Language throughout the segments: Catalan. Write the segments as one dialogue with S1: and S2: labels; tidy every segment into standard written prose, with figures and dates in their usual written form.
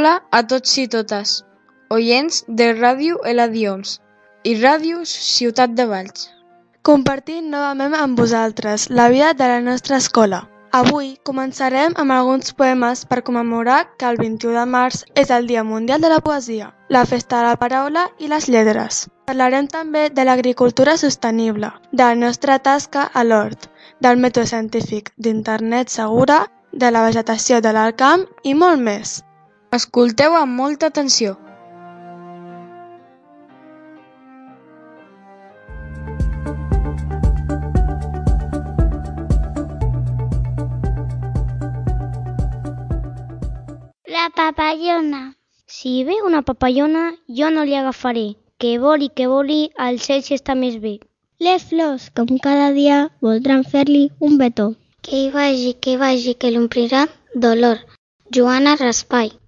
S1: Hola a tots i totes, oients de Ràdio Eladions i Ràdio Ciutat de Valls.
S2: Compartint novament amb vosaltres la vida de la nostra escola. Avui començarem amb alguns poemes per commemorar que el 21 de març és el Dia Mundial de la Poesia, la Festa de la Paraula i les Lletres. Parlarem també de l'agricultura sostenible, de la nostra tasca a l'hort, del mètode científic d'internet segura, de la vegetació de l'alt camp i molt més.
S1: Escolteu amb molta atenció.
S3: La papallona. Si ve una papallona, jo no li agafaré, que voli, el cel si està més bé. Les flors, com cada dia, voldran fer-li un betó. Que vagi, que l'omplirà d'olor. Joana Raspai.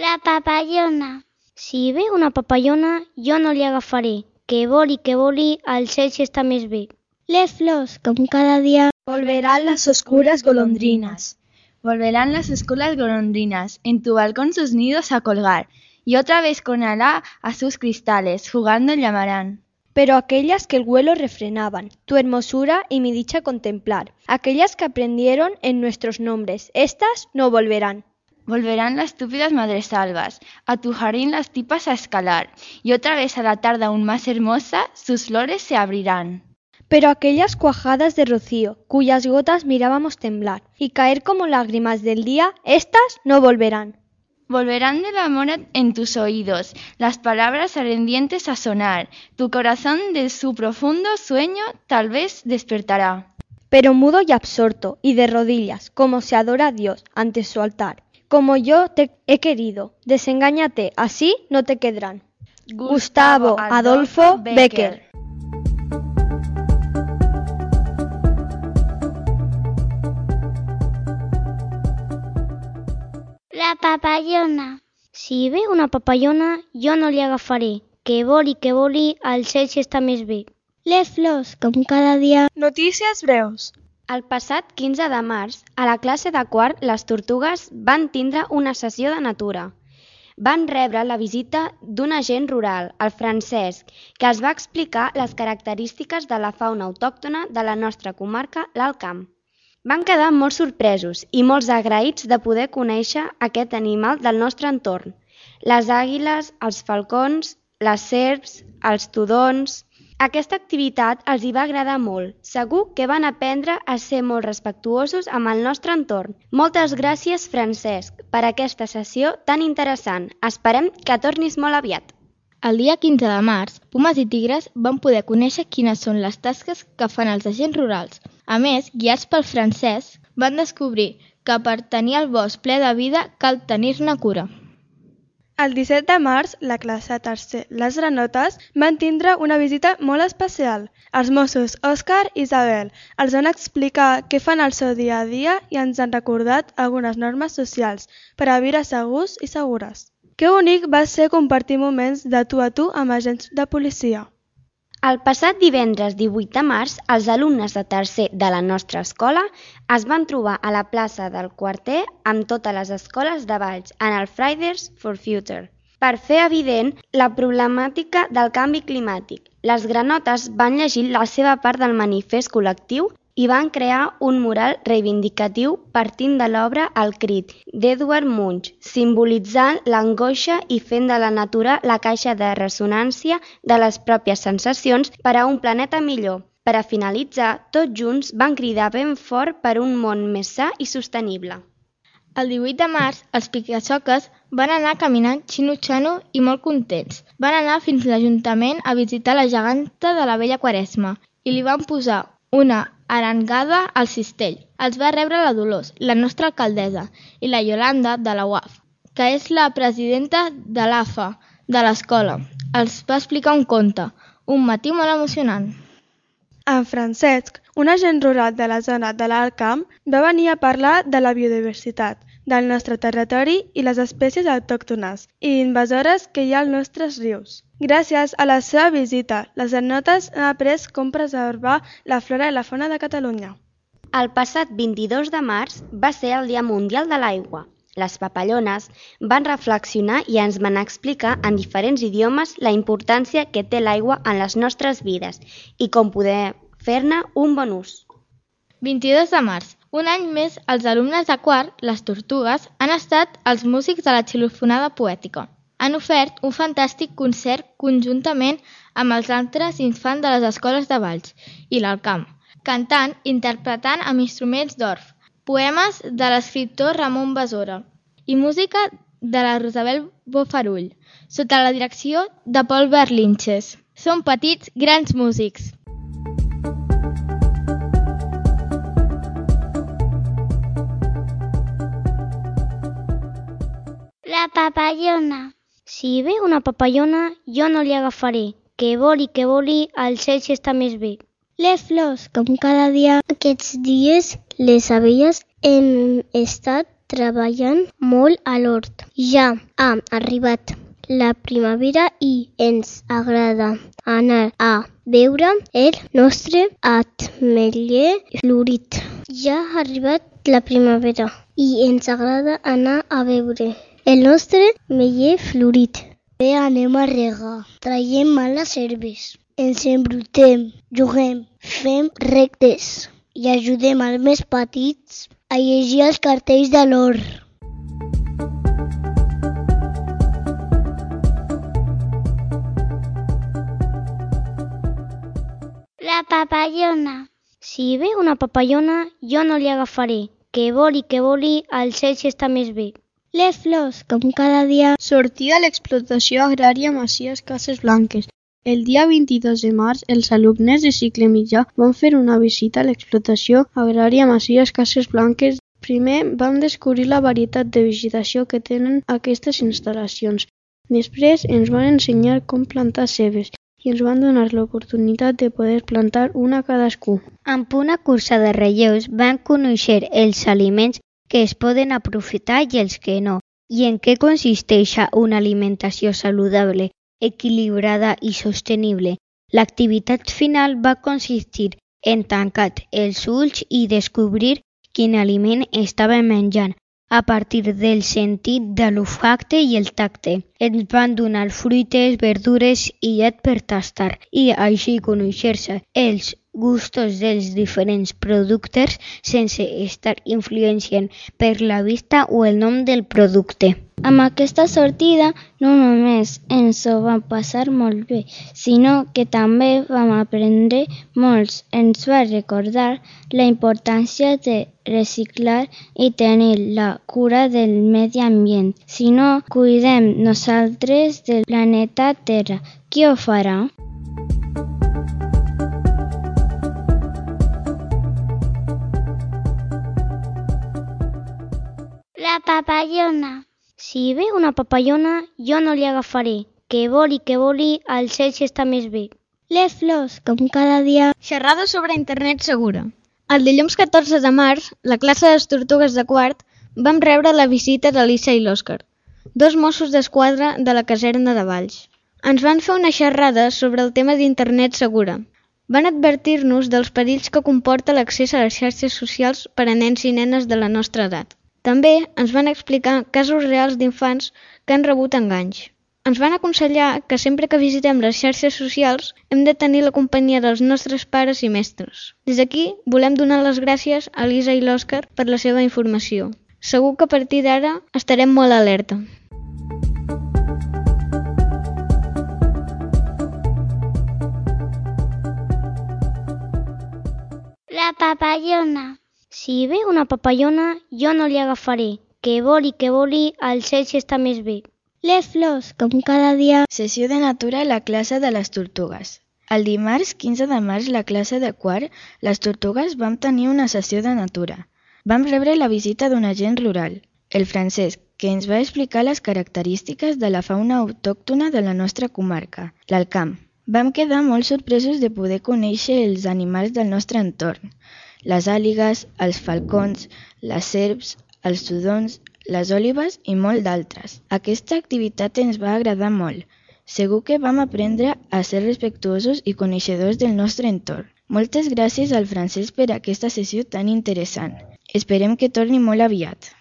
S3: La papallona. Si ve una papallona, jo no li agafaré, que voli, el cel si està més bé. Les flors, com cada dia,
S4: volverán las oscuras golondrinas. Volverán las oscuras golondrinas en tu balcón sus nidos a colgar, y otra vez con Alá a sus cristales, jugando llamarán.
S5: Pero aquellas que el vuelo refrenaban, tu hermosura y mi dicha contemplar, aquellas que aprendieron en nuestros nombres, estas no volverán.
S4: Volverán las estúpidas madresalvas, a tu jardín las tipas a escalar, y otra vez a la tarde aún más hermosa, sus flores se abrirán.
S5: Pero aquellas cuajadas de rocío, cuyas gotas mirábamos temblar, y caer como lágrimas del día, estas no volverán.
S4: Volverán del amor en tus oídos, las palabras ardientes a sonar, tu corazón de su profundo sueño tal vez despertará.
S5: Pero mudo y absorto, y de rodillas, como se adora a Dios ante su altar, como yo te he querido, desengáñate, así no te quedarán. Gustavo Adolfo Bécquer.
S3: La papallona. Si ve una papallona, jo no li agafaré, que voli, el cel si està més bé. Les flors, com cada dia.
S2: Notícies breus.
S6: El passat 15 de març, a la classe de quart, les tortugues van tindre una sessió de natura. Van rebre la visita d'un agent rural, el Francesc, que els va explicar les característiques de la fauna autòctona de la nostra comarca, l'Alt Camp. Van quedar molt sorpresos i molt agraïts de poder conèixer aquest animal del nostre entorn. Les àguiles, els falcons, les serps, els tudons. Aquesta activitat els hi va agradar molt. Segur que van aprendre a ser molt respectuosos amb el nostre entorn. Moltes gràcies, Francesc, per aquesta sessió tan interessant. Esperem que tornis molt aviat.
S7: El dia 15 de març, Pumes i Tigres van poder conèixer quines són les tasques que fan els agents rurals. A més, guiats pel Francesc, van descobrir que per tenir el bosc ple de vida cal tenir-ne cura.
S2: El 17 de març, la classe tercer Les Granotes van tindre una visita molt especial. Els Mossos Òscar i Isabel els van explicar què fan al seu dia a dia i ens han recordat algunes normes socials per a viure segurs i segures. Que bonic va ser compartir moments de tu a tu amb agents de policia.
S6: El passat divendres 18 de març, els alumnes de tercer de la nostra escola es van trobar a la plaça del Quarter amb totes les escoles de Valls en el Fridays for Future per fer evident la problemàtica del canvi climàtic. Les granotes van llegir la seva part del manifest col·lectiu i van crear un mural reivindicatiu partint de l'obra El crit d'Edward Munch, simbolitzant l'angoixa i fent de la natura la caixa de ressonància de les pròpies sensacions per a un planeta millor. Per a finalitzar, tots junts van cridar ben fort per un món més sa i sostenible.
S7: El 18 de març, els picasoques van anar caminant xino-xano i molt contents. Van anar fins a l'Ajuntament a visitar la geganta de la vella Quaresma i li van posar una arengada al cistell. Els va rebre la Dolors, la nostra alcaldessa, i la Yolanda de la UAF, que és la presidenta de l'AFA de l'escola. Els va explicar un conte, un matí molt emocionant.
S2: En Francesc, un agent rural de la zona de l'Alt Camp, va venir a parlar de la biodiversitat, del nostre territori i les espècies autòctones i invasores que hi ha als nostres rius. Gràcies a la seva visita, les etnotes han après com preservar la flora i la fauna de Catalunya.
S6: El passat 22 de març va ser el Dia Mundial de l'Aigua. Les papallones van reflexionar i ens van explicar en diferents idiomes la importància que té l'aigua en les nostres vides i com poder fer-ne un bon ús.
S7: 22 de març. Un any més, els alumnes de quart, les Tortugues, han estat els músics de la xilofonada poètica. Han ofert un fantàstic concert conjuntament amb els altres infants de les escoles de Valls i l'Alt Camp, cantant i interpretant amb instruments d'orf, poemes de l'escriptor Ramon Besora i música de la Rosabel Bofarull, sota la direcció de Pol Berlinches. Són petits, grans músics.
S3: La papallona. Si ve una papallona, jo no li agafaré, que voli, el cel està més bé. Les flors, com cada dia. Aquests dies, les abelles hem estat treballant molt a l'hort. Ja ha arribat la primavera i ens agrada anar a veure el nostre ametller florit. Ja ha arribat la primavera i ens agrada anar a veure el nostre ametller florit. Bé, anem a regar, traiem males herbes, ens embrutem, juguem, fem rectes i ajudem als més petits a llegir els cartells de l'hort. La papallona. Si ve una papallona, jo no li agafaré, que voli, el cel està més bé. Les flors, com cada dia.
S8: Sortida l'explotació agrària Masies Cases Blanques. El dia 22 de març, els alumnes de cicle mitjà van fer una visita a l'explotació agrària Masies Cases Blanques. Primer vam descobrir la varietat de vegetació que tenen aquestes instal·lacions. Després ens van ensenyar com plantar cebes i ens van donar l'oportunitat de poder plantar una cadascú.
S3: Amb una cursa de relleus van conèixer els aliments que es poden aprofitar i els que no, i en què consisteix una alimentació saludable, equilibrada i sostenible. L'activitat final va consistir en tancar els ulls i descobrir quin aliment estava menjant a partir del sentit de l'olfacte i el tacte. Ens van donar fruites, verdures i llet per tastar i així conèixer-se els gustos dels diferents productes sense estar influenciant per la vista o el nom del producte. Amb aquesta sortida no només ens ho vam passar molt bé, sinó que també vam aprendre molts. Ens va recordar la importància de reciclar i tenir la cura del medi ambient. Si no cuidem nosaltres del planeta Terra, qui ho farà? La papallona. Si ve una papallona, jo no li agafaré, que voli, el cel està més bé. Les flors, com cada dia.
S1: Xerrada sobre internet segura. El dilluns 14 de març, la classe de les Tortugues de quart vam rebre la visita de l'Isa i l'Òscar, dos Mossos d'Esquadra de la caserna de Valls. Ens van fer una xerrada sobre el tema d'internet segura. Van advertir-nos dels perills que comporta l'accés a les xarxes socials per a nens i nenes de la nostra edat. També ens van explicar casos reals d'infants que han rebut enganys. Ens van aconsellar que sempre que visitem les xarxes socials hem de tenir la companyia dels nostres pares i mestres. Des d'aquí volem donar les gràcies a l'Isa i l'Òscar per la seva informació. Segur que a partir d'ara estarem molt alerta.
S3: La papallona. Si ve una papallona, jo no li agafaré, que voli, el cel està més bé. Les flors, com cada dia.
S4: Sessió de natura a la classe de les Tortugues. El dimarts 15 de març, la classe de quart, les Tortugues vam tenir una sessió de natura. Vam rebre la visita d'un agent rural, el Francesc, que ens va explicar les característiques de la fauna autòctona de la nostra comarca, l'Alt Camp. Vam quedar molt sorpresos de poder conèixer els animals del nostre entorn, les àligues, els falcons, les serps, els tudons, les òlibes i molt d'altres. Aquesta activitat ens va agradar molt. Segur que vam aprendre a ser respectuosos i coneixedors del nostre entorn. Moltes gràcies al Francesc per aquesta sessió tan interessant. Esperem que torni molt aviat.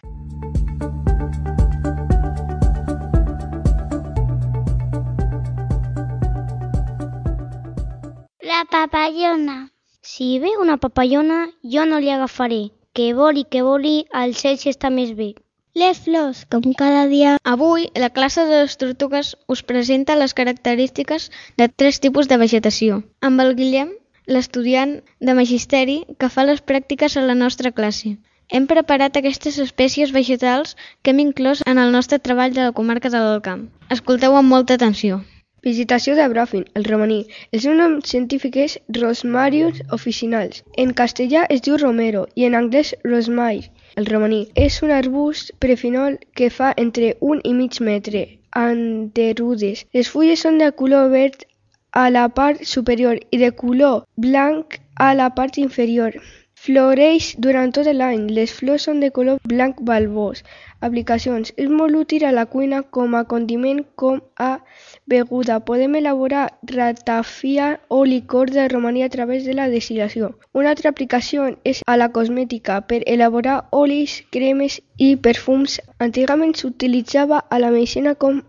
S3: La papallona. Si ve una papallona, jo no li agafaré. Que voli, al cel si està més bé. Les flors, com cada dia.
S1: Avui, la classe de les tortugues us presenta les característiques de 3 tipus de vegetació. Amb el Guillem, l'estudiant de Magisteri, que fa les pràctiques a la nostra classe. Hem preparat aquestes espècies vegetals que hem inclòs en el nostre treball de la comarca de l'Alt Camp. Escolteu amb molta atenció.
S9: Vegetació de bròfil, el romaní. El seu nom científic és Rosmarius officinals. En castellà es diu romero i en anglès rosemary. El romaní és un arbust perennifol que fa entre 1 i mig metre, enterudes. Les fulles són de color verd a la part superior i de color blanc a la part inferior. Floreix durant tot l'any. Les flors són de color blanc balbós. Aplicacions. És molt útil a la cuina com a condiment com a beguda. Podem elaborar ratafia o licor de romaní a través de la destil·lació. Una altra aplicació és a la cosmètica per elaborar olis, cremes i perfums. Antigament s'utilitzava a la medicina com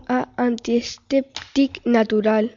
S9: a antiesèptic natural.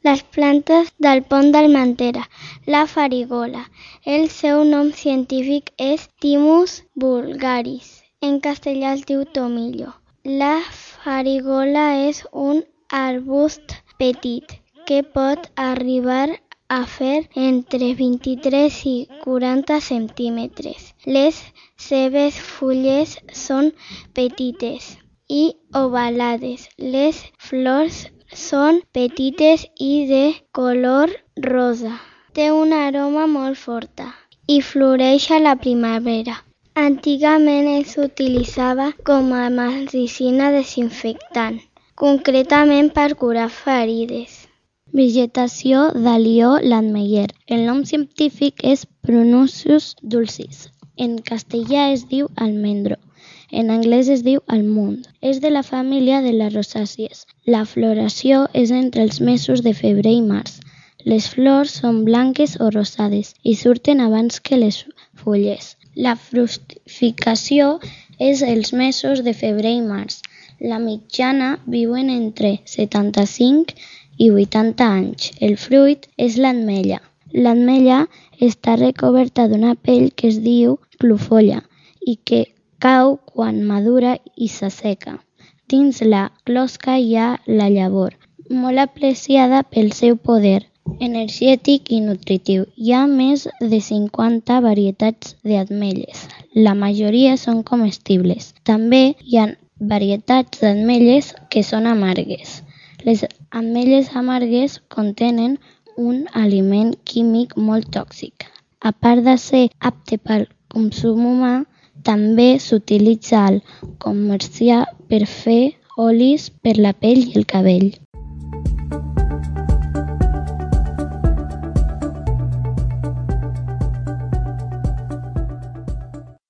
S3: Les plantes del pont d'Almentera, la farigola. El seu nom científic és Thymus vulgaris. En castellà es diu tomillo. La farigola és un arbust petit que pot arribar a fer entre 23 i 40 centímetres. Les seves fulles són petites i ovalades. Les flors són petites i de color rosa. Té una aroma molt forta i floreix a la primavera. Antigament s'utilitzava com a medicina desinfectant, concretament per curar ferides. Vegetació d'alió l'Ametller. El nom científic és Prunus dulcis. En castellà es diu almendro. En anglès es diu almond. És de la família de les rosàcies. La floració és entre els mesos de febrer i març. Les flors són blanques o rosades i surten abans que les fulles. La fructificació és els mesos de febrer i març. La mitjana viuen entre 75 i 80 anys. El fruit és l'ametlla. L'ametlla està recoberta d'una pell que es diu clofolla i que cau quan madura i s'asseca. Dins la closca hi ha la llavor, molt apreciada pel seu poder energètic i nutritiu. Hi ha més de 50 varietats d'ametlles. La majoria són comestibles. També hi ha varietats d'ametlles que són amargues. Les ametlles amargues contenen un aliment químic molt tòxic. A part de ser apte pel consum humà, també s'utilitza al comerciar per fer olis per la pell i el cabell.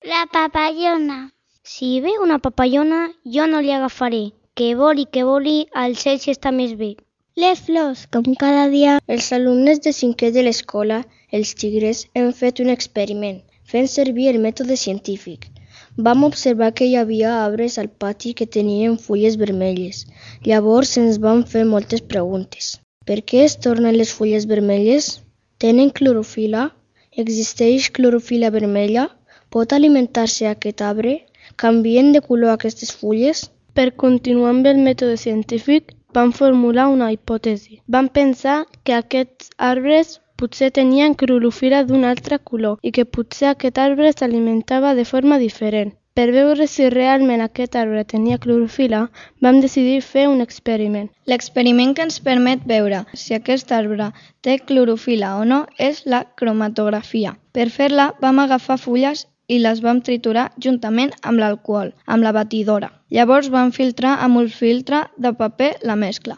S3: La papallona. Si ve una papallona, jo no li agafaré. Que voli, al cel si està més bé. Les flors, com cada dia.
S5: Els alumnes de 5è de l'escola, els tigres, hem fet un experiment, fent servir el mètode científic. Vam observar que hi havia arbres al pati que tenien fulles vermelles. Llavors ens van fer moltes preguntes. Per què es tornen les fulles vermelles? Tenen clorofila? Existeix clorofila vermella? Pot alimentar-se aquest arbre? Canvien de color aquestes fulles?
S2: Per continuar amb el mètode científic, vam formular una hipòtesi. Vam pensar que aquests arbres potser tenien clorofila d'un altre color i que potser aquest arbre s'alimentava de forma diferent. Per veure si realment aquest arbre tenia clorofila, vam decidir fer un experiment.
S7: L'experiment que ens permet veure si aquest arbre té clorofila o no és la cromatografia. Per fer-la vam agafar fulles i les vam triturar juntament amb l'alcohol, amb la batidora. Llavors vam filtrar amb un filtre de paper la mescla.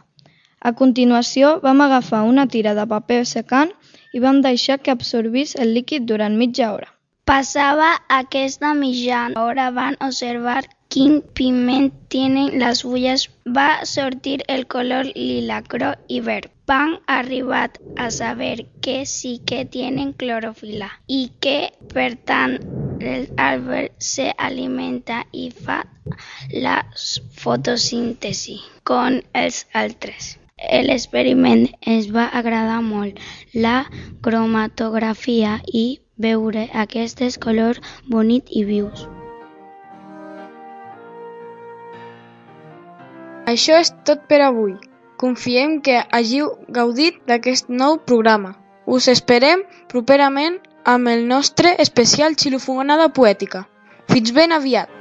S7: A continuació, vam agafar una tira de paper secant i vam deixar que absorbís el líquid durant mitja hora.
S3: Pasaba aquesta mitjana hora van observar quin pigment tienen las fulles. Va sortir el color lila, groc i verd. Van arribar a saber que sí que tienen clorofila i que, per tant, l'arbre se alimenta i fa la fotosíntesi com els altres. L'experiment ens va agradar molt, la cromatografia i veure aquests colors bonics i vius.
S2: Això és tot per avui. Confiem que hàgiu gaudit d'aquest nou programa. Us esperem properament amb el nostre especial xilofonada poètica. Fins ben aviat!